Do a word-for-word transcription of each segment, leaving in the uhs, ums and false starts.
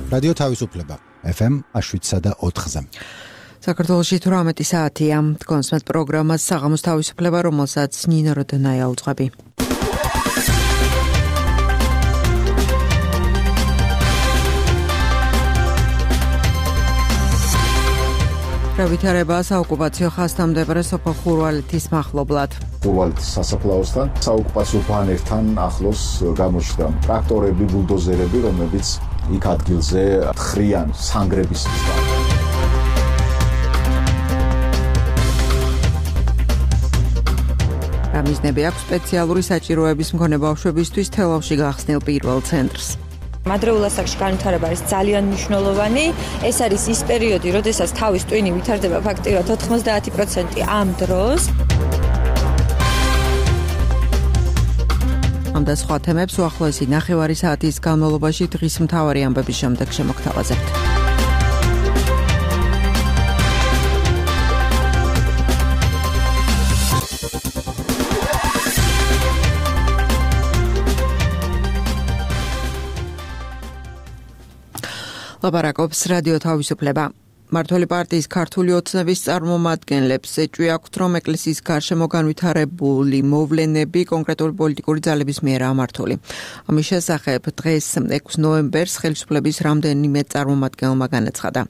რადიო თავისუფლება ეფ ემ შვიდსა და ოთხზე. საქართველოში თვრამეტი საათია. კონსმეთ პროგრამას საღამოს თავისუფლება, რომელსაც ნინო როდონაია უძღვები. გავითარება საოკუპაციო ხაზთამდებარე სოფელ ხურვალეთის მახლობლად. ხურვალეთის სასაფლაოსთან საოკუპაციო ბანერთან ახლოს გამოჩნდა ტრაქტორები, ბულდოზერები, რომლებიც იქ ადგილზე ხრიან სანგრების მისგან. გამიზნები აქვს სპეციალური საჭიროების მქონე ბავშვებისთვის თელავში გახსნილ პირველ ცენტრს. მადრეულ ასაკში განვითარება არის ძალიან მნიშვნელოვანი. ეს არის ის პერიოდი, როდესაც თავის ტვინი ვითარდება ფაქტიურად ოთხმოცდაათი პროცენტი ამ დროს. ამ და სხვა თემებს უახლოესი ნახევარი საათის განმავლობაში დღის მთავარი ამბების შემდეგ შემოგთავაზებთ. ლაპარაკობს რადიო თავისუფლება. მმართველი პარტიის ქართული ოცნების წარმომადგენლებს ეჭვი აქვთ, რომ ეკლესიის გარშემო განვითარებული მოვლენები კონკრეტული პოლიტიკური ძალების მიერ ამართული. ამის შესახებ დღეს ექვსი ნოემბერს ხელისუფლების რამდენიმე წარმომადგენელმა განაცხადა.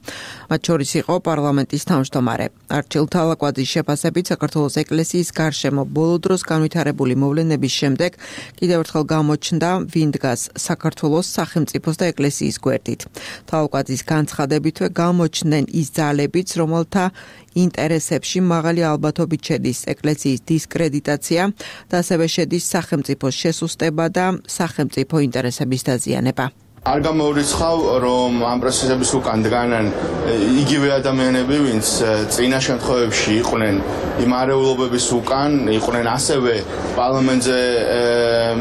მათ შორის იყო პარლამენტის თავმჯდომარე. არჩილ თალაკვაძის შეფასებით, საქართველოს ეკლესიის გარშემო ბოლო დროს განვითარებული მოვლენების შემდეგ კიდევ ერთხელ გამოჩნდა, ვინ დგას საქართველოს სახელმწიფოს და ეკლესიის გვერდით. თალაკვაძის განცხადებითვე გამოჩნდნენ ის ძალებიც, რომელთა ინტერესებში მაღალი ალბათობით შედის ეკლესიის დისკრედიტაცია და ასევე შედის სახელმწიფოს შესუსტება და სახელმწიფო ინტერესების დაზიანება. არ გამოურიცხავ, რომ ამ პროცესების უკან დგანან იგივე ადამიანები, ვინც წინა შემთხვევებში იყვნენ იმ არეულობების უკან, იყვნენ ასევე პარლამენტზე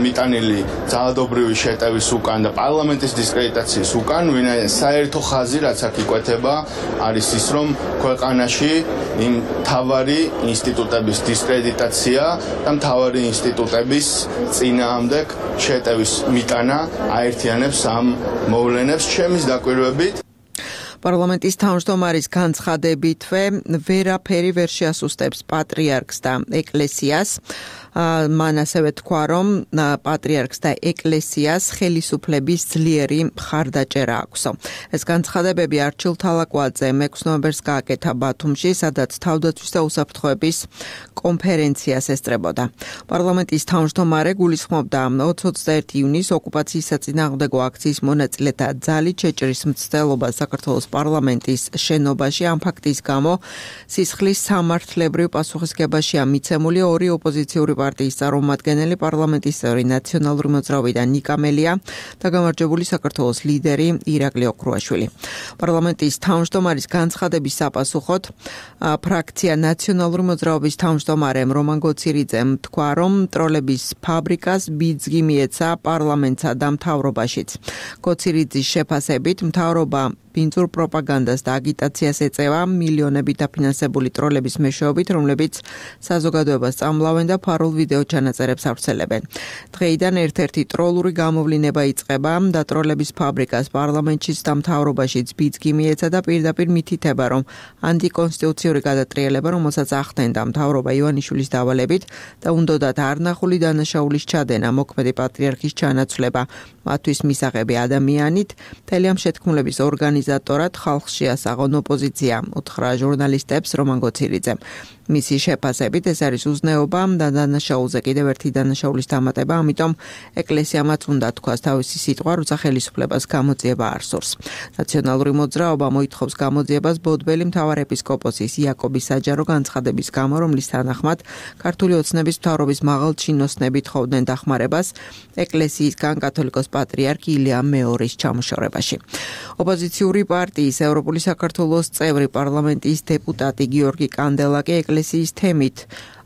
მიტანილი ძალადობრივი შეტევის უკან და პარლამენტის დისკრედიტაციის უკან, ვინაიდან საერთო ხაზი, რაც აქ იკვეთება, არის ის, რომ ქვეყანაში იმ მთავარი ინსტიტუტების დისკრედიტაცია და მთავარი ინსტიტუტების წინააღმდეგ შეტევის მიტანა აერთიანებს ამ მოვლენებს ჩემის დაკვირვებით. პარლამენტის თავმჯდომარის განცხადებითვე ვერაფერი ვერ შეასუსტებს პატრიარქს და ეკლესიას. მან ასევე თქვა, რომ პატრიარქს და ეკლესიას ხელისუფლების ძლიერი მხარდაჭერა აქვს. ეს განცხადებები არჩილ თალაკვაძემ ექვსი ნოემბერს გააკეთა ბათუმში, სადაც თავდაცვის და უსაფრთხოების კონფერენციას ესწრებოდა. პარლამენტის თავმჯდომარე გულისხმობდა ოცდაერთი ივნისს ოკუპაციის საწინააღმდეგო აქციის მონაწილეთა ძალით შეჭრის მცდელობას საქართველოს პარლამენტის შენობაში. ამ ფაქტის გამო სისხლის სამართლებრივ პასუხისგებაშია მიცემული ორი ოპოზიციური პარტიის წარმომადგენელი, პარლამენტის წევრი ნაციონალური მოძრაობი და ნიკა მელია და გამარჯვებული საქართველოს ლიდერი ირაკლი ოქრუაშვილი. პარლამენტის თავმჯდომარის განცხადების საპასუხოდ ფრაქცია ნაციონალური მოძრაობის თავმჯდომარემ რომან გოცირიძემ თქვა, რომ ტროლების ფაბრიკას ბიძგი მიეცა პარლამენტსა და მთავრობაშიც. გოცირიძის შეფასებით მთავრობა ბინძურ პროპაგანდას და აგიტაციას ეწევა მილიონებით დაფინანსებული ტროლების მეშვეობით, რომლებიც საზოგადოებას წამლავენ და ფარულ ვიდეო ჩანაწერებს ავრცელებენ. დღეიდან ერთ-ერთი ტროლური გამოვლინება იწყება და ტროლების ფაბრიკას პარლამენტშიც და მთავრობაშიც ბიძგი მიეცა და პირდაპირ მითითება, რომ ანტიკონსტიტუციური გადატრიალება, რომელსაც ახდენდა მთავრობა ივანიშვილის დავალებით და უნდოდათ არნახული დანაშაულის ჩადენა, მოქმედი პატრიარქის ჩანაცვლება, მათთვის მისაღები ადამიანით, მთელი ამ შეთქმულების ორგანიზატორად ხალხს შეასაღონ ოპოზიცია, უთხრა ჟურნალისტებს რომან გოცირიძემ. მისი შეფასებით ეს არის უზნეობა და დანაშაულზე კიდევ ერთი დანაშაულის დამატება, ამიტომ ეკლესიამაც უნდა თქვას თავისი სიტყვა, როცა ხელისუფლებას გამოძიება არ სურს. ნაციონალური მოძრაობა მოითხოვს გამოძიებას ბოდბელი მთავარეპისკოპოსის იაკობის საჯარო განცხადების გამო, რომლის თანახმად ქართული ოცნების მთავრობის მაღალჩინოსნები თხოვდნენ დახმარებას ეკლესიისგან კათოლიკოს პატრიარქ ილია მეორის ჩამოშორებაში. ოპოზიციური პარტიის ევროპული საქართველოს წევრი პარლამენტის დეპუტატი გიორგი კანდელაკი ეკლესიის თემით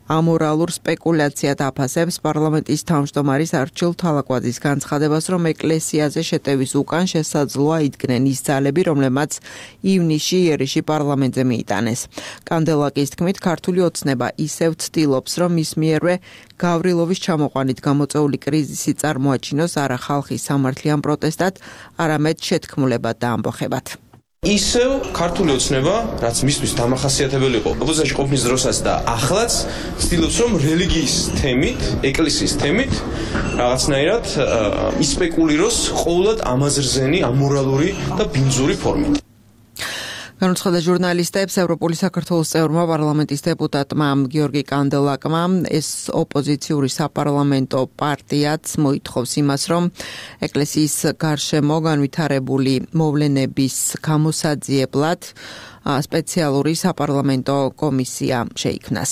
ამორალურ სპეკულაციად აფასებს პარლამენტის თავმჯდომარის არჩილ თალაკვაძის განცხადებას, რომ ეკლესიაზე შეტევის უკან შესაძლოა იდგნენ ის ძალები, რომლებმაც ივნისში იერიშში პარლამენტზე მიიტანეს. კანდელაკის თქმით, ქართული ოცნება ისევ ცდილობს, რომ მის მიერვე გავრილოვის ჩამოყვანით გამოწვეული კრიზისი წარმოაჩინოს არა ხალხის სამართლიან პროტესტად, არამედ შეთქმულებად და ამბოხებად. ისევ ქართული ოცნება, რაც მისთვის დამახასიათებელი იყო ოპოზიციაში ყოფნის დროსაც და ახლაც, ცდილობს, რომ რელიგიის თემით, ეკლესიის თემით რაღაცნაირად ისპეკულიროს ყოველად ამაზრზენი, ამორალური და ბინძური ფორმით. განუცხადა ჟურნალისტებს ევროპული საქართველოს წევრმა პარლამენტის დეპუტატმა გიორგი კანდელაკმა ეს ოპოზიციური საპარლამენტო პარტიაც მოითხოვს იმას, რომ ეკლესიის გარშემო განვითარებული მოვლენების გამოსაძიებლად სპეციალური საპარლამენტო კომისია შეიქმნას.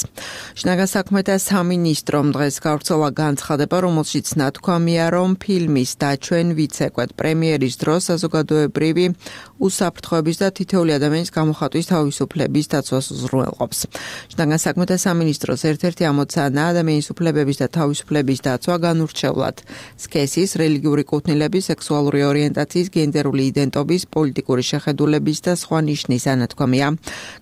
შინაგან საქმეთა სამინისტრომ დღეს გავრცელა განცხადება, რომელშიც ნათქვამია, რომ ფილმის დაჩვენ ვიცეკვეთ პრემიერის დროს საზოგადოებრივი უსაფრთხოების და თითოეული ადამიანის გამოხატვის თავისუფლების დაცვას უზრუნველყოფს. შინაგან საქმეთა სამინისტროს ერთ-ერთი ამოცანაა ადამიანის უფლებების და თავისუფლების დაცვა განურჩევლად სქესის, რელიგიური კუთვნილების, სექსუალური ორიენტაციის, გენდერული იდენტობის, პოლიტიკური შეხედულების და სხვა ნიშნის ანათქვამია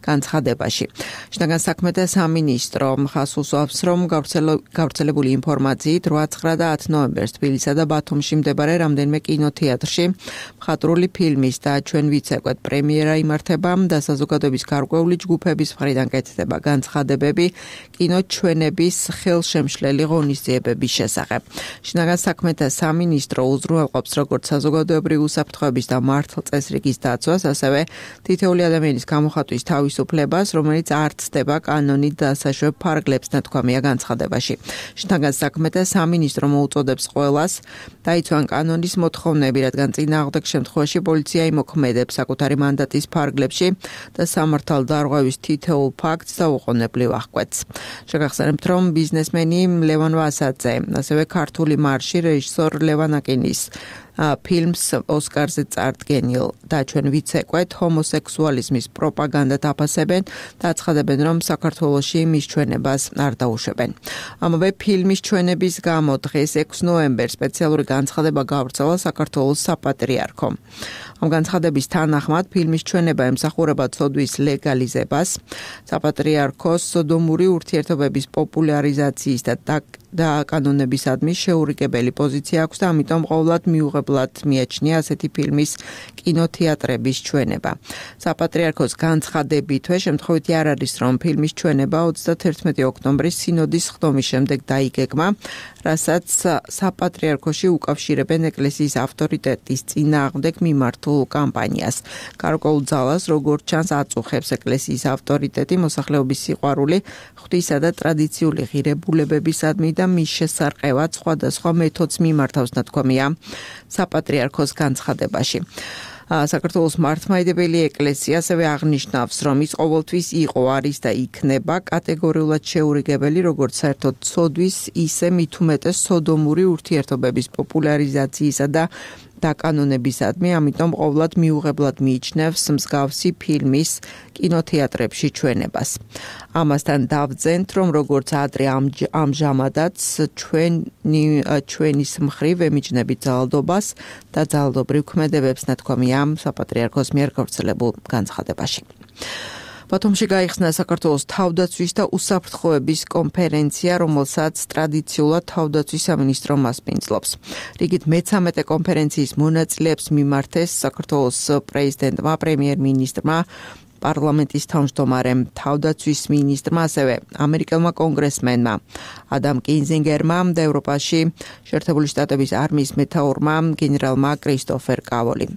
განცხადებაში. შინაგან საქმეთა სამინისტრო ხაზს უსვამს, რომ გავრცელებული ინფორმაციით რვა, ცხრა და ათი ნოემბერს თბილისსა და ბათუმში მდებარე რამდენიმე კინოთეატრში მხატვრული ფილმის დაჩვენ ვიცეკვეთ პრემიერა იმართება და საზოგადოების გარკვეული ჯგუფების მხრიდან კეთდება განცხადებები კინოჩვენების ხელშემშლელი ღონისძიებების შესახებ. შინაგან საქმეთა სამინისტრო უზრუნველყოფს როგორც საზოგადოებრივი უსაფრთხოების და მართლწესრიგის დაცვას, ასევე თითოეული ადამიანის გამოხატვის თავისუფლებას, რომელიც არ ცდება კანონით დასაშვებ ფარგლებს, ნათქვამია განცხადებაში. შინაგან საქმეთა სამინისტრო მოუწოდებს ყველას დაიცვან კანონის მოთხოვნები, რადგან წინააღმდეგ შემთხვევაში პოლიცია იმოქმედებს საკუთარი მანდატის ფარგლებში და სამართალ დარღვევის თითოეულ ფაქტს დაუყოვნებლივ აღკვეთს. შეგახსენებთ, რომ ბიზნესმენი ლევან ვასაძე, ასევე ქართული მარში რეჟისორ ლევან აკინის ფილმს ოსკარზე წარდგენილ დაჩვენ ვიცეკვეთ ჰომოსექსუალიზმის პროპაგანდად აფასებენ და აცხადებენ, რომ საქართველოში მის ჩვენებას არ დაუშვებენ. ამავე ფილმის ჩვენების გამო დღეს ექვსი ნოემბერს სპეციალური განცხადება გავრცელა საქართველოს საპატრიარქომ. ამ განცხადების თანახმად ფილმის ჩვენება ემსახურება ცოდვის ლეგალიზებას, საპატრიარქოს სოდომური ურთიერთობების პოპულარიზაციის და დაკანონებისადმი შეურიგებელი პოზიცია აქვს და ამიტომ ყოველად მიუღებლად მიაჩნია ასეთი ფილმის კინოთეატრების ჩვენება. საპატრიარქოს განცხადებითვე შემთხვევითი არ არის, რომ ფილმის ჩვენება ოცდათერთმეტი ოქტომბრის სინოდის ხდომის შემდეგ დაიგეგმა, რასაც საპატრიარქოში უკავშირებენ ეკლესიის ავტორიტეტის წინააღმდეგ მიმართულ კამპანიას. გარკვეულ ძალას, როგორც ჩანს, აწუხებს ეკლესიის ავტორიტეტი, მოსახლეობის სიყვარული, ღვთისა და ტრადიციული ღირებულებებისადმი და მის შესარყევად სხვადასხვა მეთოდს მიმართავს, ნათქვამია საპატრიარქოს განცხადებაში. საქართველოს მართლმადიდებელი ეკლესია ასევე აღნიშნავს, რომ ის ყოველთვის იყო, არის და იქნება კატეგორიულად შეურიგებელი როგორც საერთოდ ცოდვის, ისე მით უმეტეს სოდომური ურთიერთობების პოპულარიზაციისა და დაკანონებისადმი, ამიტომ ყოველად მიუღებლად მიიჩნევს მსგავსი ფილმის კინოთეატრებში ჩვენებას. ამასთან დავძენთ, რომ როგორც ადრე ამჟამადაც ჩვენი ჩვენის მხრივ ემიჯნებით ძალადობას და ძალადობრივ ქმედებებს, ნათქვამია საპატრიარქოს მიერ გავრცელებულ განცხადებაში. ბათუმში გაიხსნა საქართველოს თავდაცვის და უსაფრთხოების კონფერენცია, რომელსაც ტრადიციულად თავდაცვის სამინისტრო მასპინძლობს. რიგით მეცამეტე კონფერენციის მონაწილეებს მიმართეს საქართველოს პრეზიდენტმა, პრემიერ-მინისტრმა, პარლამენტის თავმჯდომარემ, თავდაცვის მინისტრმა, ასევე ამერიკელმა კონგრესმენმა ადამ კინზინგერმა და ევროპაში შეერთებული შტატების არმიის მეთაურმა გენერალმა კრისტოფერ კავოლიმ.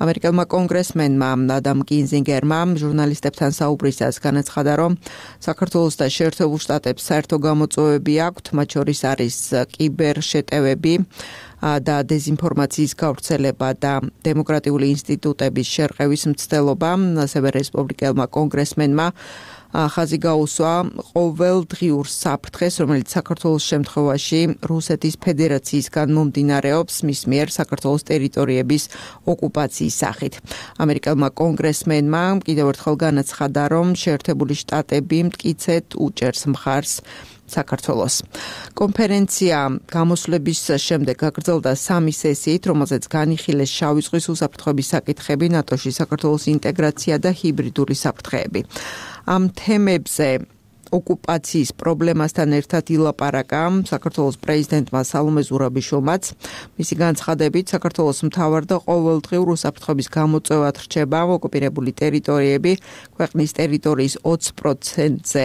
ამერიკელმა კონგრესმენმა ადამ კინზინგერმა ჟურნალისტებთან საუბრისას განაცხადა, რომ საქართველოს და შეერთებულ შტატებს საერთო გამოწვევები აქვთ, მათ შორის არის კიბერშეტევები და დეზინფორმაციის გავრცელება და დემოკრატიული ინსტიტუტების შერყევის მცდელობა, ასევე რესპუბლიკელმა კონგრესმენმა ხაზი გაუსვა ყოველდღიურ საფრთხეს, რომელიც საქართველოს შემთხვევაში რუსეთის ფედერაციისგან მომდინარეობს მის მიერ საქართველოს ტერიტორიების ოკუპაციის სახით. ამერიკელმა კონგრესმენმა კიდევ ერთხელ განაცხადა, რომ შეერთებული შტატები მტკიცედ უჭერს მხარს საქართველოს. კონფერენცია გამოსვლების შემდეგ გაგრძელდა სამი სესიით, რომელზეც განიხილეს შავი ზღვის უსაფრთხოების საკითხები, ნატოში საქართველოს ინტეგრაცია და ჰიბრიდული საფრთხეები. ამ თემებზე ოკუპაციის პრობლემასთან ერთად ილაპარაკა საქართველოს პრეზიდენტმა სალომე ზურაბიშვილმაც. მისი განცხადებით, საქართველოს მთავარ და ყოველდღიურ უსაფრთხოების გამოწვევად რჩება ოკუპირებული ტერიტორიები, ქვეყნის ტერიტორიის ოცი პროცენტზე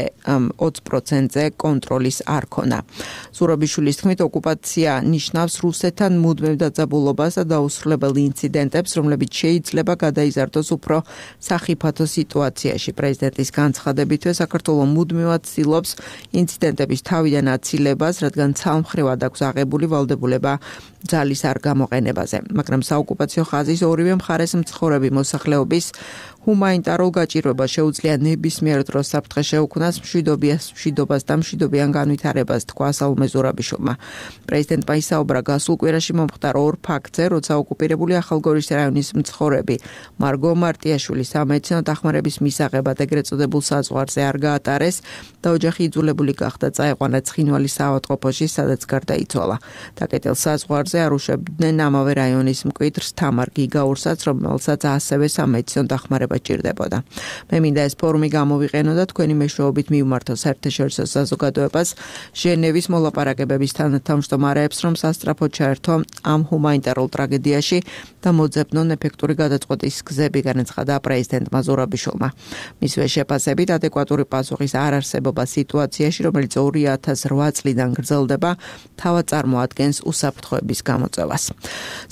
ოცი პროცენტზე კონტროლის არქონა. ზურაბიშვილის თქმით, ოკუპაცია ნიშნავს რუსეთთან მუდმივ დაძაბულობას და დაუსრულებელ ინციდენტებს, რომლებიც შეიძლება გადაიზარდოს უფრო სახიფათო სიტუაციაში. პრეზიდენტის განცხადებითვე საქართველოს მუდმივად ცდილობს ინციდენტების თავიდან აცილებას, რადგან ცალმხრივად აქვს აღებული ვალდებულება ძალის არ გამოყენებაზე. მაგრამ საოკუპაციო ხაზის ორივე მხარეს მცხოვრები მოსახლეობის ჰუმანიტარულ გაჭირვებას შეუძლია ნებისმიერ დროს საფრთხე შეუქმნას მშვიდობას და მშვიდობიან განვითარებას, თქვა სალომე ზურაბიშვილმა. პრეზიდენტმა ისაუბრა გასულ კვირაში მომხდარ ორ ფაქტზე, როცა ოკუპირებული ახალგორის რაიონის მცხოვრები მარგო მარტიაშვილი სამედიცინო დახმარების მისაღებად ეგრეთ წოდებულ საზღვარზე არ გაატარეს და ოჯახი იძულებული გახდა წაეყვანა ცხინვალის საავადმყოფოში, სადაც გარდაიცვალა. დაკეტილ საზღვარზე არუშვებდნენ ამავე რაიონის მკვიდრს თამარ გიგაურსაც, რომელსაც ასევე სამედიცინო დახმარება ჭირდებოდა. მე მინდა ეს ფორუმი გამოვიყენო და თქვენი მეშვეობით მივმართო საერთაშორისო საზოგადოებას ჟენევის მოლაპარაკებების თანათავმჯდომარეებს, რომ სასწრაფოდ ჩაერთო ამ ჰუმანიტარულ ტრაგედიაში და მოძებნონ ეფექტური გადაწყვეტის გზები, განაცხადა პრეზიდენტმა ზურაბიშვილმა. მისვე შეფასებით ადეკვატური პასუხის არ არსებობა სიტუაციაში, რომელიც ორი ათას რვა წლიდან გრძელდება, თავად წარმოადგენს უსაფრთხოების გამოწვევას.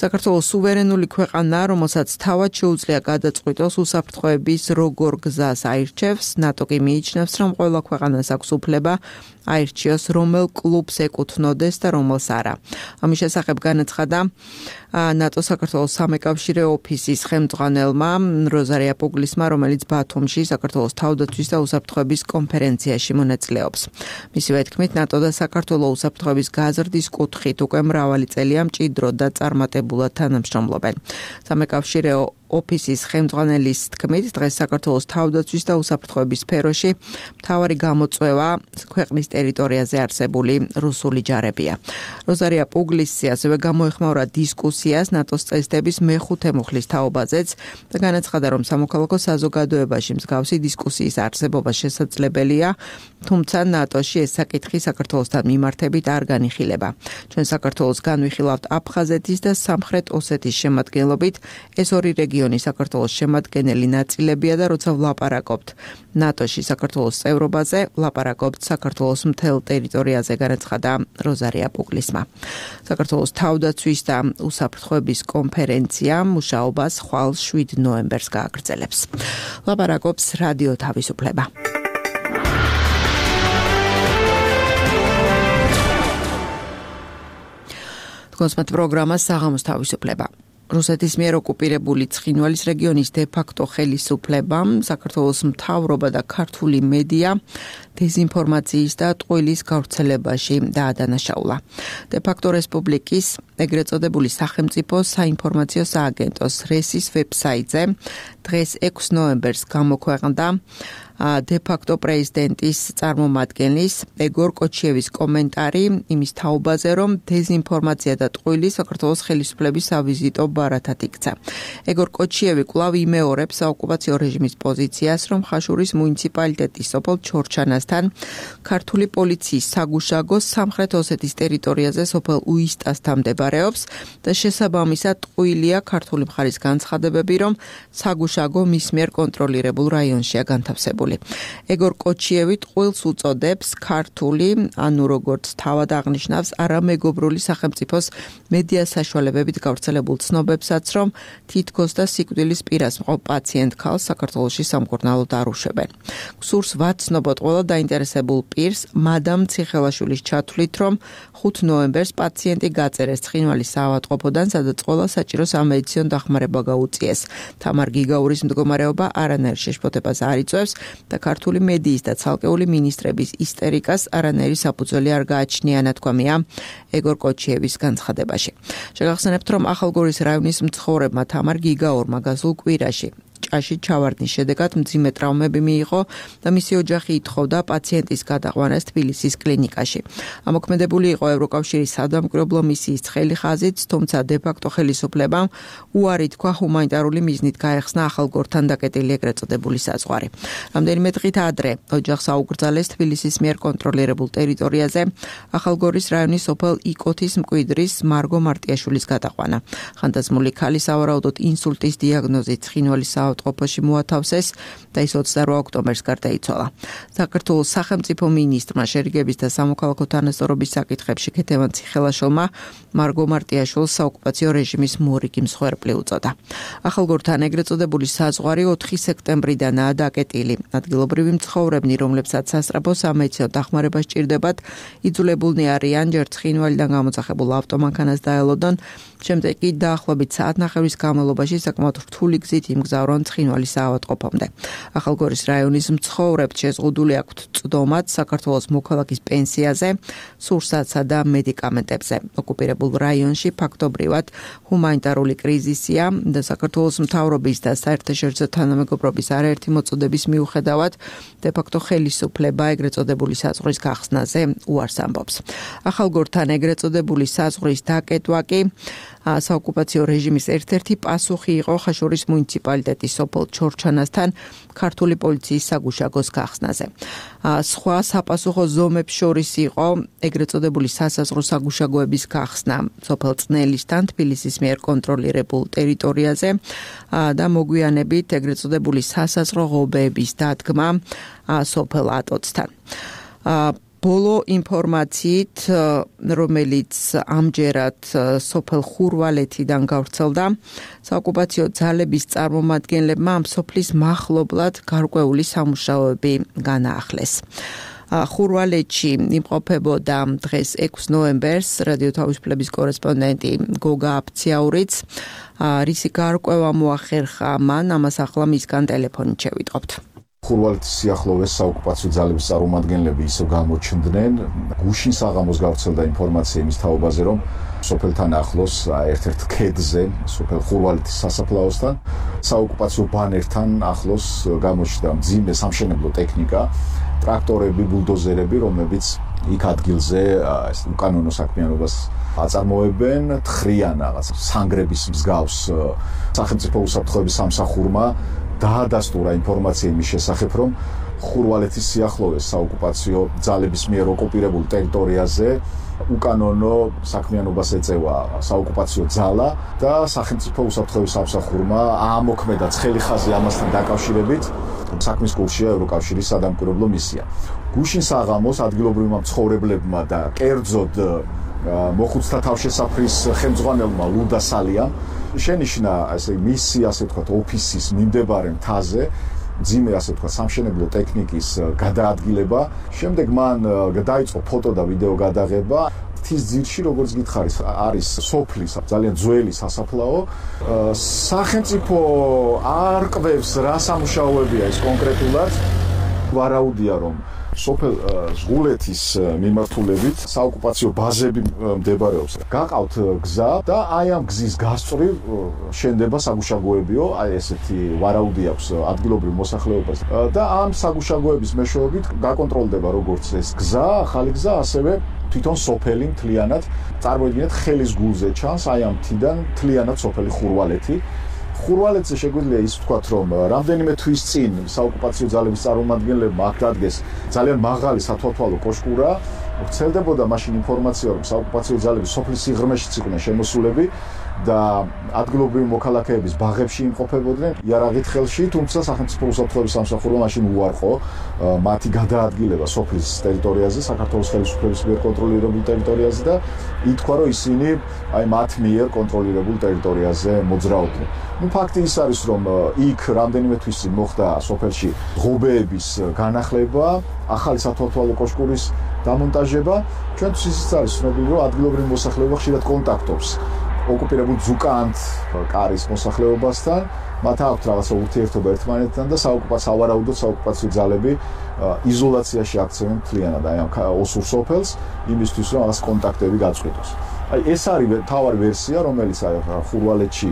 საქართველოს სუვერენული ქვეყანაა, რომელსაც თავად შეუძლია გადაწყვიტოს უსაფრთხოების როგორ გზას აირჩევს. ნატო კი მიიჩნევს, რომ ყველა ქვეყანას აქვს უფლება აირჩიოს, რომელ კლუბს ეკუთვნოდეს და რომელს არა. ამის შესახებ განაცხადა ნატო საქართველოს სამეკავშირე ოფისის ხელმძღვანელმა როზარია პუგლისმა, რომელიც ბათუმში საქართველოს თავდაცვის და უსაფრთხოების კონფერენციაში მონაწილეობს. მისივე თქმით, ნატო და საქართველოს უსაფრთხოების გაზრდის კუთხით უკვე მრავალი წელია მჭიდროდ და წარმატებულად თანამშრომლობენ. სამეკავშირე ოფისის ხელმძღვანელის თქმით, დღეს საქართველოს თავდაცვის და უსაფრთხოების სფეროში მთავარი გამოწვევა ქვეყნის ტერიტორიაზე არსებული რუსული ჯარებია. როზარია პუგლისი ასევე გამოეხმაურა დისკუსიას ნატოს წესდების მეხუთე მუხლის თაობაზეც და განაცხადა, რომ სამოქალაქო საზოგადოებაში მსგავსი დისკუსიის არსებობა შესაძლებელია, თუმცა ნატოში ეს საკითხი საქართველოსთან მიმართებით არ განიხილება. ჩვენ საქართველოს განვიხილავთ აფხაზეთის და სამხრეთ ოსეთის შემადგენლობით, ეს ორი რეგიონი საქართველოს შემადგენელი ნაწილებია და როცა ვლაპარაკობთ ნატოში საქართველოს წევრობაზე, ვლაპარაკობთ საქართველოს მთელ ტერიტორიაზე, განაცხადა როზარია პუგლისმა. საქართველოს თავდაცვის და უსაფრთხოების კონფერენცია მუშაობას ხვალ შვიდ ნოემბერს გააგრძელებს. ლაპარაკობს რადიო თავისუფლება. კონსმეთ პროგრამა საღამოს თავისუფლება. რუსეთის მიერ ოკუპირებული ცხინვალის რეგიონის დე-ფაქტო ხელისუფლებამ საქართველოს მთავრობა და ქართული მედია დეზინფორმაციის და ტყუილის გავრცელებაში დაადანაშაულა. დე-ფაქტო რესპუბლიკის ეგრეთ წოდებული სახელმწიფო საინფორმაციო სააგენტოს რესის ვებსაიტზე დღეს ექვსი ნოემბერს გამოქვეყნდა დე-ფაქტო პრეზიდენტის წარმომადგენლის ეგორ კოჩიევის კომენტარი იმის თაობაზე, რომ დეზინფორმაცია და ტყუილი საქართველოს ხელისუფლების სავიზიტო ბარათად იქცა. ეგორ კოჩიევი კვლავ იმეორებს საოკუპაციო რეჟიმის პოზიციას, რომ ხაშურის მუნიციპალიტეტის სოფელ ჩორჩანასთან ქართული პოლიციის საგუშაგო სამხრეთ ოსეთის ტერიტორიაზე სოფელ უისტასთან მდებარეობს და შესაბამისად ტყუილია ქართული მხარის განცხადებები, რომ საგუშაგო მის მიერ კონტროლირებულ რაიონშია განთავსებული. ეგორ კოჩიევი ტყუილს უწოდებს ქართული, ანუ როგორც თავად აღნიშნავს, არამეგობრული სახელმწიფოს მედია საშუალებებით გავრცელებულ ცნობებსაც, რომ თითქოს და სიკვდილის პირას მყოფ პაციენტ ქალს საქართველოში სამკურნალოდ არ უშვებენ. გსურს ვაცნობოთ ყველა დაინტერესებულ პირს, მადამ ციხელაშვილის ჩათვლით, რომ ხუთი ნოემბერს პაციენტი გაწერეს ცხინვალის საავადმყოფოდან, სადაც ყველა საჭირო სამედიცინო დახმარება გაუწიეს. თამარ გიგაურის მდგომარეობა არანაირ შეშფოთებას არ იწვევს და ქართული მედიის და ცალკეული მინისტრების ისტერიკას არანაირი საფუძველი არ გააჩნია, ნათქვამია ეგორ კოჩიევის განცხადებაში. შეგახსენებთ, რომ ახალგორის რაიონის მცხოვრებმა თამარ გიგაურმა გასულ კვირაში ჭაში ჩავარდნის შედეგად მძიმე ტრავმები მიიღო და მისი ოჯახი ითხოვდა პაციენტის გადაყვანას თბილისის კლინიკაში. ამოქმედებული იყო ევროკავშირის სადამკვირვებლო მისიის ცხელი ხაზით, თუმცა დე-ფაქტო ხელისუფლებამ უარი თქვა ჰუმანიტარული მიზნით გაეხსნა ახალგორთან დაკეტილი ეგრეთ წოდებული საზღვარი. რამდენიმე დღით ადრე ოჯახს აუკრძალეს თბილისის მიერ კონტროლირებულ ტერიტორიაზე ახალგორის რაიონის სოფელ იკოთის მკვიდრის მარგო მარტიაშვილის გადაყვანა. ხანდაზმული ქალი სავარაუდოდ ინსულტის დიაგნოზით ცხინვალის საავადმყოფოში მოათავსეს და ის ოცდაორ ოქტომბერს გარდაიცვალა. საქართველოს სახელმწიფო მინისტრმა შერიგების და სამოქალაქო თანასწორობის საკითხებში ქეთევან ციხელაშვილმა მარგო მარტიაშვილს საოკუპაციო რეჟიმის მორიგი მსხვერპლი უწოდა. ახალგორთან ეგრეთ წოდებული საზღვარი ოთხი სექტემბრიდანაა დაკეტილი. ადგილობრივი მცხოვრებნი, რომლებსაც სასწრაფო სამედიცინო დახმარება სჭირდებათ, იძულებულნი არიან ჯერ ცხინვალიდან გამოძახებულ ავტომანქანას დაელოდონ, შემდეგ კი დაახლოებით საათნახევრის განმავლობაში საკმაოდ რთული გზით იმგზავრონ ცხინვალის საავადმყოფომდე. ახალგორის რაიონის მცხოვრებთ შეზღუდული აქვთ წვდომაც საქართველოს მოქალაქის პენსიაზე, სურსათსა და მედიკამენტებზე. ოკუპირებულ რაიონში ფაქტობრივად ჰუმანიტარული კრიზისია და საქართველოს მთავრობის და საერთაშორისო თანამეგობრობის არაერთი მოწოდების მიუხედავად დე-ფაქტო ხელისუფლება ეგრეთ წოდებული საზღვრის გახსნაზე უარს ამბობს. ახალგორთან ეგრეთ წოდებული საზღვრის დაკეტვა კი საოკუპაციო რეჟიმის ერთ-ერთი პასუხი იყო ხაშურის მუნიციპალიტეტის სოფელ ჩორჩანასთან ქართული პოლიციის საგუშაგოს გახსნაზე. სხვა საპასუხო ზომებს შორის იყო ეგრეთ წოდებული სასაზღვრო საგუშაგოების გახსნა სოფელ წნელისთან თბილისის მიერ კონტროლირებულ ტერიტორიაზე და მოგვიანებით ეგრეთ წოდებული სასაზღვრო ღობეების დადგმა სოფელ ატოცთან. ბოლო ინფორმაციით, რომელიც ამჯერად სოფელ ხურვალეთიდან გავრცელდა, საოკუპაციო ძალების წარმომადგენლებმა ამ სოფლის მახლობლად გარკვეული სამუშაოები განაახლეს. ხურვალეთში იმყოფებოდა დღეს ექვსი ნოემბერს რადიო თავისუფლების კორესპონდენტი გოგა აფციაურიც, რისი გარკვევა მოახერხა მან, ამას ახლა მისგან ტელეფონით შევიტყობთ. ხურვალეთის სიახლოვეს საოკუპაციო ძალების წარმომადგენლები ისევ გამოჩნდნენ. გუშინ საღამოს გავრცელდა ინფორმაცია იმის თაობაზე, რომ სოფელთან ახლოს ერთ-ერთ ქედზე, სოფელ ხურვალეთის სასაფლაოსთან, საოკუპაციო ბანერთან ახლოს გამოჩნდა მძიმე სამშენებლო ტექნიკა, ტრაქტორები, ბულდოზერები, რომლებიც იქ ადგილზე ეს უკანონო საქმიანობას აწარმოებენ, თხრიან რაღაც სანგრების მსგავს სახელმწიფო უსაფრთხოების სამსახურმა დაადასტურა ინფორმაცია იმის შესახებ, რომ ხურვალეთის სიახლოვეს საოკუპაციო ძალების მიერ ოკუპირებულ ტერიტორიაზე უკანონო საქმიანობას ეწევა საოკუპაციო ძალა და სახელმწიფო უსაფრთხოების სამსახურმა აამოქმედა ცხელი ხაზი ამასთან დაკავშირებით. საქმის კურსია ევროკავშირის სადამკვირვებლო მისია. გუშინ საღამოს ადგილობრივმა მცხოვრებლებმა და კერძოდ მოხუცთა თავშესაფრის ხელმძღვანელმა ლუდა სალიამ შენიშნა ესე მისი ასე ვთქვათ ოფისის მიმდებარე მთაზე ძიმე ასე ვთქვათ სამშენებლო ტექნიკის გადაადგილება. შემდეგ მან დაიწყო ფოტო და ვიდეო გადაღება. მთის ძირში, როგორც გითხარის, არის სოფლის ძალიან ძველი სასაფლაო. სახელმწიფო არ კვევს რა სამუშაოებია ეს კონკრეტულად. ვარაუდია, რომ სოფელ ზღულეთის მიმართულებით საოკუპაციო ბაზები მდებარეობს. გაყავთ გზა და აი ამ გზის გასწვრივ შენდება საგუშაგოებიო, აი ესეთი ვარაუდი აქვს ადგილობრივ მოსახლეობას და ამ საგუშაგოების მეშვეობით გაკონტროლდება როგორც ეს გზა, ახალი გზა, ასევე თვითონ სოფელი მთლიანად. წარმოიდგინეთ, ხელის გულზე ჩანს აი ამ მთიდან მთლიანად სოფელი ხურვალეთი. ხურვალეთზე შეგვიძლია ის ვთქვათ, რომ რამდენიმე თვის წინ საოკუპაციო ძალების წარმომადგენლებმა აქ დადგეს ძალიან მაღალი სათვალთვალო კოშკურა. ვრცელდებოდა მაშინ ინფორმაცია, რომ საოკუპაციო ძალები სოფლის სიღრმეშიც იყვნენ შემოსულები და ადგილობრივი მოქალაქეების ბაღებში იმყოფებოდნენ იარაღით ხელში, თუმცა სახელმწიფო უსაფრთხოების სამსახურმა მაშინ უარყო მათი გადაადგილება სოფლის ტერიტორიაზე, საქართველოს ხელისუფლების მიერ კონტროლირებულ ტერიტორიაზე და ითქვა, რომ ისინი აი მათ მიერ კონტროლირებულ ტერიტორიაზე მოძრაობდნენ. ნუ ფაქტი ის არის, რომ იქ რამდენიმე თვის წინ მოხდა სოფელში ღობეების განახლება, ახალი სათვალთვალო კოშკურის დამონტაჟება. ჩვენთვის ისიც არის ცნობილი, რომ ადგილობრივი მოსახლეობა ხშირად კონტაქტობს ოკუპირებულ ზუკანთ კარის მოსახლეობასთან, მათ აქვთ რაღაცა ურთიერთობა ერთმანეთთან და საოკუპაციო ავარაუდოდ საოკუპაციო ძალები იზოლაციაში აქცევენ მთლიანად აი ამ ოსურ სოფელს იმისთვის, რომ რაღაც კონტაქტები გაწყვიტოს. აი ეს არის თავარი ვერსია, რომელიც აი ხურვალეთში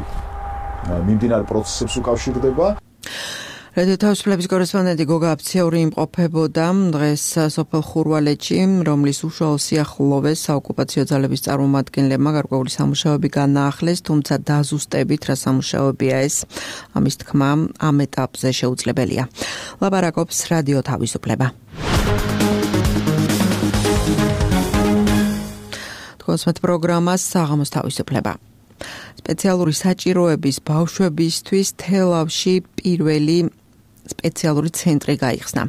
მიმდინარე პროცესებს უკავშირდება. რადიო თავისუფლების კორესპონდენტი გოგა აფციური იმყოფებოდა დღეს სოფელ ხურვალეთში, რომლის უშუალო სიახლოვეს საოკუპაციო ძალების წარმომადგენლებმა გარკვეული სამუშაოები განაახლეს, თუმცა დაზუსტებით რა სამუშაოებია ეს, ამის თქმა ამ ეტაპზე შეუძლებელია. ლაპარაკობს რადიო თავისუფლება. თქოსმეთ პროგრამას საღამოს თავისუფლება. სპეციალური საჭიროების ბავშვებისთვის თელავში პირველი სპეციალური ცენტრი გაიხსნა.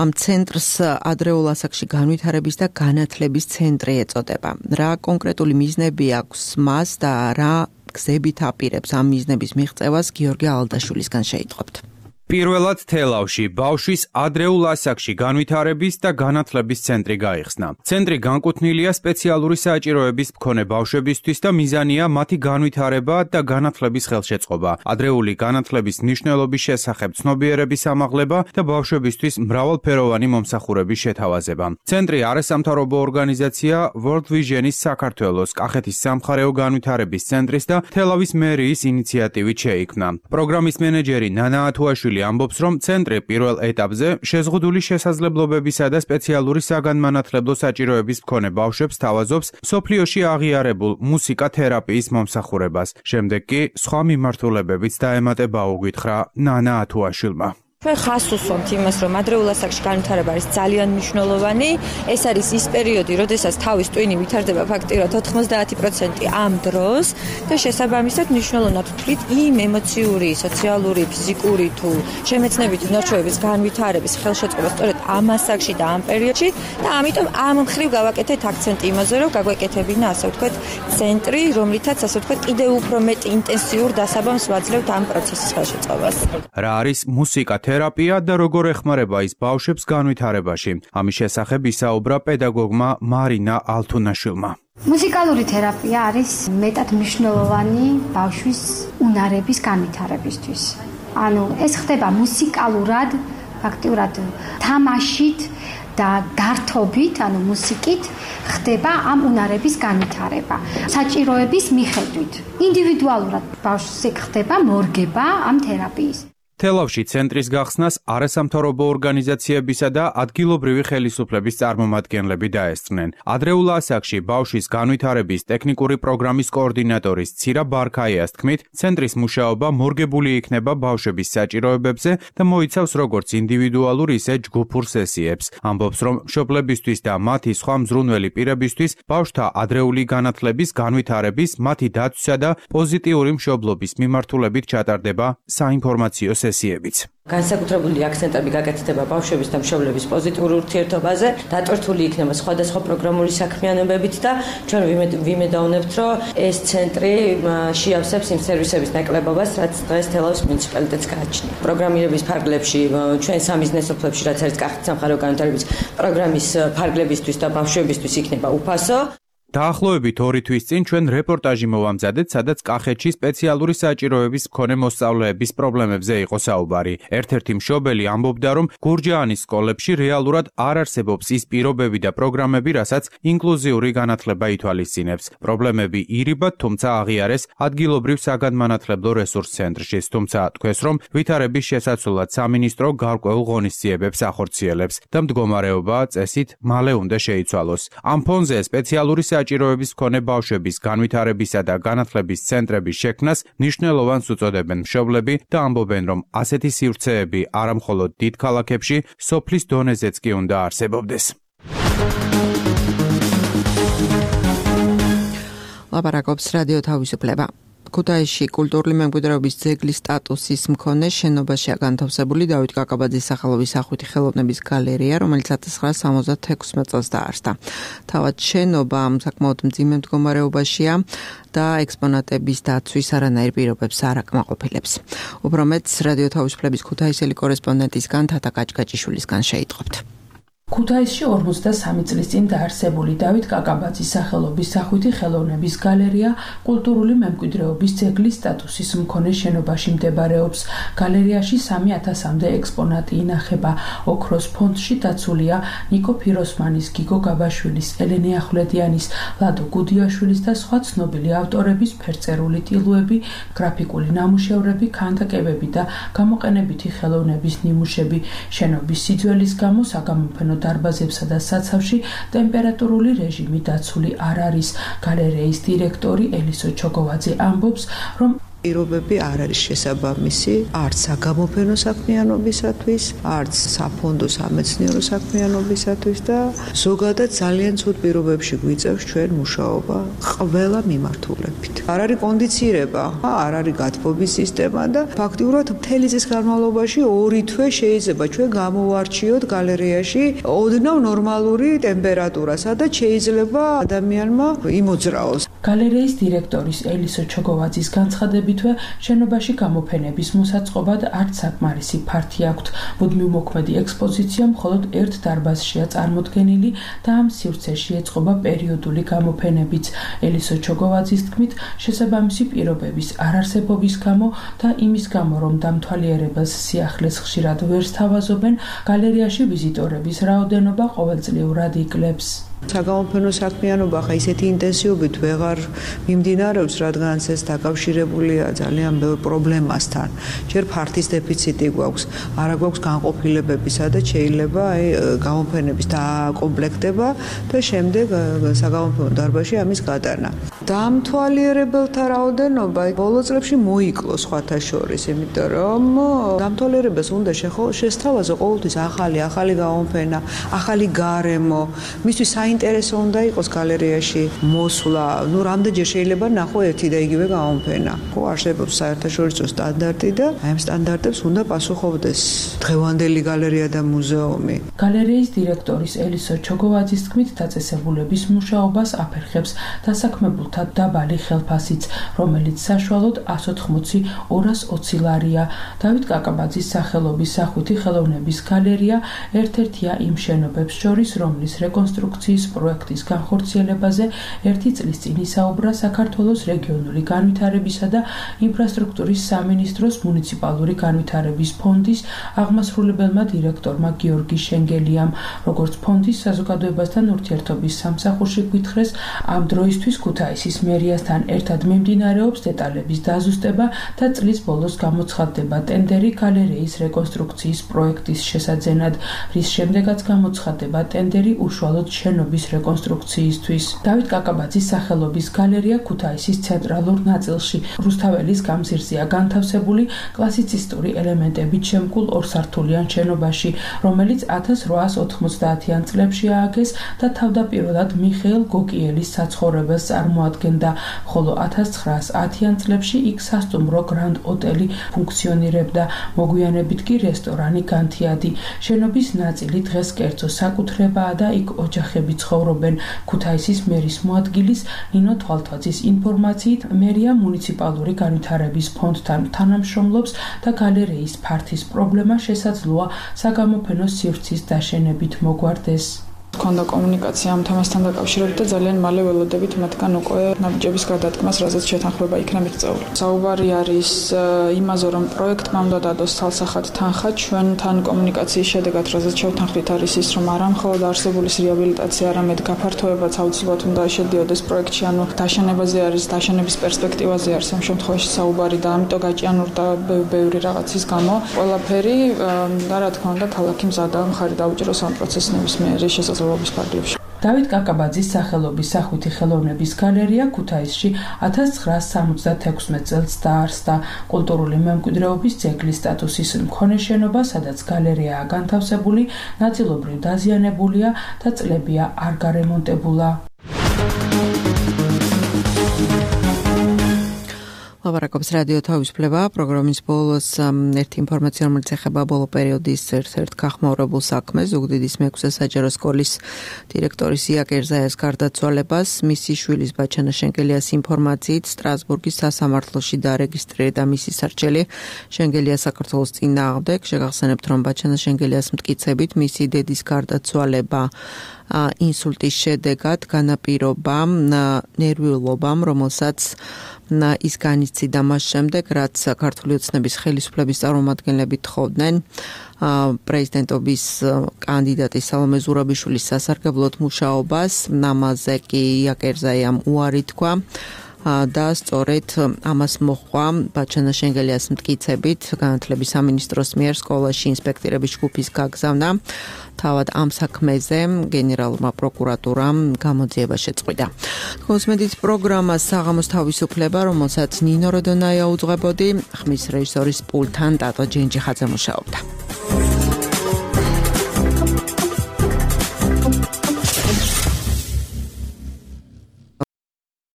ამ ცენტრს ადრეულ ასაკში განვითარების და განათლების ცენტრი ეწოდება. რა კონკრეტული მიზნები აქვს მას და რა გზებით აპირებს ამ მიზნების მიღწევას გიორგი ალდაშვილისგან შეიტყობთ. პირველად თელავში ბავშვის ადრეულ ასაკში განვითარების და განათლების ცენტრი გაიხსნა. ცენტრი განკუთვნილია სპეციალური საჭიროების მქონე ბავშვებისთვის და მიზანია მათი განვითარება და განათლების ხელშეწყობა, ადრეული განათლების მნიშვნელობის შესახებ ცნობიერების ამაღლება და ბავშვებისთვის მრავალფეროვანი მომსახურების შეთავაზება. ცენტრი არასამთავრობო ორგანიზაცია World Vision-ის საქართველოს, კახეთის სამხარეო განვითარების ცენტრის და თელავის მერიის ინიციატივით შეიქმნა. პროგრამის მენეჯერი ნანა ათუაშვილი ამბობს, რომ ცენტრი პირველ ეტაპზე შეზღუდული შესაძლებლობებისა და სპეციალური საგანმანათლებლო საჭიროების მქონე ბავშვებს თავაზობს სოფლიოში აღიარებულ მუსიკა თერაპიის მომსახურებას. შემდეგ კი სხვა მიმართულებებიც დაემატება, უგითხრა ნანა ათუაშვილმა. ჩვენ ხას უსვამთ იმას, რომ ადრეულ ასაკში განვითარება არის ძალიან მნიშვნელოვანი. ეს არის ის პერიოდი, როდესაც თავის ტვინი ვითარდება ფაქტიურად ოთხმოცდაათი პროცენტი ამ დროს და შესაბამისად მნიშვნელოვნად ვთვლით იმ ემოციური, სოციალური, ფიზიკური თუ შემეცნებითი ნარჩვევების განვითარების ხელშეწყობა სწორედ ამ ასაკში და ამ პერიოდში და ამიტომ ამ მხრივ გავაკეთეთ აქცენტი იმაზე, რომ გაგვეკეთებინა ასე ვთქვათ ცენტრი, რომლითაც ასე ვთქვათ კიდევ უფრო მეტ ინტენსიურ დასაბამს ვაძლევთ ამ პროცესის ხელშეწყობას. რა არის მუსიკა თერაპია და როგორ ეხმარება ის ბავშვებს განვითარებაში. ამის შესახებ ისაუბრა პედაგოგმა მარინა ალთუნაშვილმა. მუსიკალური თერაპია არის მეტად მნიშვნელოვანი ბავშვის უნარების განვითარებისთვის. ანუ ეს ხდება მუსიკალურად, ფაქტიურად თამაშით და გართობით, ანუ მუსიკით ხდება ამ უნარების განვითარება. საჭიროების მიხედვით, ინდივიდუალურად ბავშვს ხდება მორგება ამ თერაპიის. თელავში ცენტრის გახსნას არასამთავრობო ორგანიზაციებისა და ადგილობრივი ხელისუფლების წარმომადგენლები დაესწრნენ. ადრეულ ასაკში ბავშვის განვითარების ტექნიკური პროგრამის კოორდინატორის ცირა ბარქაიას თქმით, ცენტრის მუშაობა მორგებული იქნება ბავშვების საჭიროებებზე და მოიცავს როგორც ინდივიდუალურ, ისე ჯგუფურ სესიებს. ამბობს, რომ მშობლებისთვის და მათი სხვა მზრუნველი პირებისთვის ბავშვთა ადრეული განათლების, განვითარების, მათი დაცვისა და პოზიტიური მშობლობის მიმართულებით ჩატარდება საინფორმაციო სესიებიც. განსაკუთრებული აქცენტები გაკეთდება ბავშვების და მშობლების პოზიტიურ ურთიერთობაზე, დატვირთული იქნება სხვადასხვა პროგრამული საქმიანობებით და ჩვენ ვიმედოვნებთ, რომ ეს ცენტრი შეავსებს იმ სერვისების ნაკლებობას, რაც დღეს თელავის მუნიციპალიტეტს გააჩნია. პროგრამირების ფარგლებში, ჩვენ სამიზნეს სოფლებში, რაც არის კახეთის სამხარეო განვითარების პროგრამის ფარგლებისთვის და ბავშვებისთვის იქნება უფასო. დაახლოებით ორი თვის წინ ჩვენ რეპორტაჟი მოვამზადეთ, სადაც კახეთში სპეციალური საჭიროების მქონე მოსწავლეების პრობლემებზე იყო საუბარი. ერთ-ერთი მშობელი ამბობდა, რომ გურჯაანის სკოლებში რეალურად არ არსებობს ის პირობები და პროგრამები, რასაც ინკლუზიური განათლება ითვალისწინებს. პრობლემები ირიბად, თუმცა აღიარეს ადგილობრივ საგანმანათლებლო რესურს ცენტრში, თუმცა თქვეს, რომ ვითარების შესაცვლად სამინისტრო გარკვეულ ღონისძიებებს ახორციელებს და მდგომარეობა წესით მალე უნდა შეიცვალოს. ამ ფონზე სპეციალური საჭიროების მქონე ბავშვების განვითარებისა და განათლების ცენტრების შექმნას მნიშვნელოვანს უწოდებენ მშობლები და ამბობენ, რომ ასეთი სივრცეები არა მხოლოდ დიდ ქალაქებში, სოფლის დონეზეც კი უნდა არსებობდეს. ლაპარაკობს რადიო თავისუფლება. ქუთაისში კულტურული მემკვიდრეობის ძეგლის სტატუსის მქონე შენობაშია განთავსებული დავით კაკაბაძის სახელობის სახვითი ხელოვნების გალერეა, რომელიც ათას ცხრაასა სამოცდათექვსმეტ წელს დაარსდა. თავად შენობა საკმაოდ მძიმე მდგომარეობაშია და ექსპონატების დაცვის არანაირ პირობებს არ აკმაყოფილებს. უფრო მეტს რადიო თავისუფლების ქუთაისელი კორესპონდენტისგან თათა კაჭკაჭიშვილისგან შეიტყობთ. ქუთაისში ორმოცდასამი წლის წინ დაარსებული დავით კაკაბაძის სახელობის სახვითი ხელოვნების გალერეა კულტურული მემკვიდრეობის ძეგლის სტატუსის მქონე შენობაში მდებარეობს. გალერეაში სამი ათასამდე ექსპონატი ინახება. ოქროს ფონდში დაცულია ნიკო ფიროსმანის, გიგო გაბაშვილის, ელენე ახვლედიანის, ლადო გუდიაშვილის და სხვა ცნობილი ავტორების ფერწერული ტილოები, გრაფიკული ნამუშევრები, ქანდაკებები და გამოყენებითი ხელოვნების ნიმუშები. შენობის სიძველის გამო საგამოფენო დარბაზებსა და საცავში ტემპერატურული რეჟიმი დაცული არ არის. გალერეის დირექტორი ელისო ჩოგოვაძე ამბობს, რომ პირობები არ არის შესაბამისი არც საგამოფენო საქმიანობისათვის, არც საფონდო სამეცნიერო საქმიანობისათვის და ზოგადად ძალიან ცუდ პირობებში გვიწევს ჩვენ მუშაობა ყველა მიმართულებით. არ არის კონდიცირება, არ არის გათბობის სისტემა და ფაქტიურად მთელი წლის განმავლობაში ორი თვე შეიძლება ჩვენ გამოვარჩიოთ გალერეაში ოდნავ ნორმალური ტემპერატურა, სადაც შეიძლება ადამიანმა იმოძრაოს. გალერეის დირექტორის ელისო ჩოგოვაძის განცხადებითვე შენობაში გამოფენების მოსაწყობად არც საკმარისი ფართი აქვთ. მუდმივ მოქმედი ექსპოზიცია მხოლოდ ერთ დარბაზშია წარმოდგენილი და ამ სივრცეში ეწყობა პერიოდული გამოფენებიც. ელისო ჩოგოვაძის თქმით, შესაბამისი პირობების არარსებობის გამო და იმის გამო, რომ დამთვალიერებელს სიახლეს ხშირად ვერ სთავაზობენ, გალერეაში ვიზიტორების რაოდენობა ყოველწლიურად იკლებს. საგამოფენო საქმიანობა ხა ისეთი ინტენსივობით ვეღარ მიმდინარეობს, რადგანაც ეს დაკავშირებულია ძალიან ბევრ პრობლემასთან. ჯერ ფართის დეფიციტი გვაქვს, არა გვაქვს განყოფილებები, სადაც შეიძლება აი გამოფენების დაკომპლექტება და შემდეგ საგამოფენო დარბაზში ამის გატანა. დამთვალიერებელთა რაოდენობა ბოლო წლებში მოიკლო სხვათა შორის, იმიტომ რომ დამთვალიერებელს უნდა შესთავაზო ყოველთვის ახალი, ახალი გამოფენა, ახალი გარემო, მისთვის საინტერესო უნდა იყოს გალერეაში მოსვლა. ნუ რამდენჯერ შეიძლება ნახო ერთი და იგივე გამოფენა. ხო, არსებობს საერთაშორისო სტანდარტი და აი ამ სტანდარტებს უნდა პასუხობდეს დღევანდელი გალერეა და მუზეუმი. გალერეის დირექტორის ელისო ჩოგოვაძის თქმით, დაწესებულების მუშაობას აფერხებს დასაქმებულთა დაბალი ხელფასიც, რომელიც საშუალოდ εκατს ოთხმოცი ორას ოცი ლარია. დავით კაკაბაძის სახელობის სახვითი ხელოვნების გალერეა ერთ-ერთია იმ შენობებს შორის, რომლის რეკონსტრუქციის პროექტის განხორციელებაზე ერთი წლის წინ ისაუბრა საქართველოს რეგიონული განვითარებისა და ინფრასტრუქტურის სამინისტროს მუნიციპალური განვითარების ფონდის აღმასრულებელმა დირექტორმა გიორგი შენგელიამ. როგორც ფონდის საზოგადოებასთან ურთიერთობის სამსახურში გვითხრეს, ამ დროისთვის ქუთაისის მერიასთან ერთად მიმდინარეობს დეტალების დაზუსტება და წლის ბოლოს გამოცხადდება ტენდერი გალერეის რეკონსტრუქციის პროექტის შესაძენად, რის შემდეგაც გამოცხადდება ტენდერი უშუალოდ შენობის რეკონსტრუქციისთვის. დავით კაკაბაძის სახელობის გალერეა ქუთაისის ცენტრალურ ნაწილში რუსთაველის გამზირზეა განთავსებული კლასიცისტური ელემენტებით შემკულ ორსართულიან შენობაში, რომელიც ათას რვაას ოთხმოცდაათიან წლებში ააგეს და თავდაპირველად მიხეილ გოკიელის საცხოვრებელს წარმოადგენდა, ხოლო ათას ცხრაას ათიან წლებში იქ სასტუმრო გრანდ ოტელი ფუნქციონირებდა, მოგვიანებით კი რესტორანი განთიადი. შენობის ნაწილი დღეს კერძო საკუთრებაა და იქ ოჯახები ცხოვრობენ. ქუთაისის მერის მოადგილის ნინო თვალთვაძის ინფორმაციით, მერია მუნიციპალური განვითარების ფონდთან თანამშრომლობს და გალერეის ფართის პრობლემა შესაძლოა საგამოფენო სივრცის დაშენებით მოგვარდეს. ქონდა კომუნიკაცია ამ თემასთან დაკავშირებით და ძალიან მალე ველოდებით მათგან უკვე ნაბიჯების გადადგმას, რაზეც შეთანხმება იქნა მიღწეული. საუბარი არის იმაზე, რომ პროექტმა უნდა დადოს თალსახად თანხა, ჩვენთან კომუნიკაციის შედეგად, რაზეც შევთანხმდით, არის ის, რომ არა მხოლოდ არსებულის რეაბილიტაცია, არამედ გაფართოებაც აუცილებლად უნდა შედიოდეს პროექტში, ანუ დაშენებაზე არის, დაშენების პერსპექტივაზე არის ამ შემთხვევაში საუბარი და ამიტომ გაჭიანურდა ბევრი რაღაცის გამო. ყველაფერი და რა თქმა უნდა, ქალაქი მზადაა მხარი დაუჭიროს ამ პროცესს ნებისმიერი შესაძლებლობის დავით კაკაბაძის სახელობის სახვითი ხელოვნების გალერეა ქუთაისში ათას ცხრაას სამოცდათექვსმეტ წელს დაარსდა. კულტურული მემკვიდრეობის ძეგლის სტატუსის მქონე შენობა, სადაც გალერეაა განთავსებული, ნაწილობრივ დაზიანებულია და წლებია არ გარემონტებულა. ლაპარაკობს რადიო თავისუფლება პროგრამის ბოლოს ერთი ინფორმაცია, რომელიც ეხება ბოლო პერიოდის ერთ-ერთ გახმაურებულ საქმეს, ზუგდიდის მეექვსე საჯარო სკოლის დირექტორის ია კერზაიას გარდაცვალებას. მისი შვილის ბაჩანა შენგელიას ინფორმაციით სტრასბურგის სასამართლოში დარეგისტრირდა მისი სარჩელი შენგელია საქართველოს წინააღმდეგ. შეგახსენებთ, რომ ბაჩანა შენგელიას მტკიცებით მისი დედის გარდაცვალება ინსულტის შედეგად განაპირობა ნერვიულობამ, რომელსაც ის განიცდიდა მას შემდეგ, რაც ქართული ოცნების ხელისუფლების წარმომადგენლები თხოვდნენ პრეზიდენტობის კანდიდატი სალომე ზურაბიშვილის სასარგებლოდ მუშაობას. ამაზე კი ია კერზაიამ უარი თქვა და სწორედ ამას მოჰყვა ბაჩანა შენგელიას მტკიცებით განათლების სამინისტროს მიერ სკოლაში ინსპექტორების ჯგუფის გაგზავნა. თავად ამ საქმეზე გენერალურმა პროკურატურამ გამოძიება შეწყვიტა. კონსმედით პროგრამა საღამოს თავისუფლება, რომელსაც ნინო როდონაია უძღვებოდი, ხმის რეჟისორის პულტთან ტატო ჯენჯიხაძე მუშაობდა.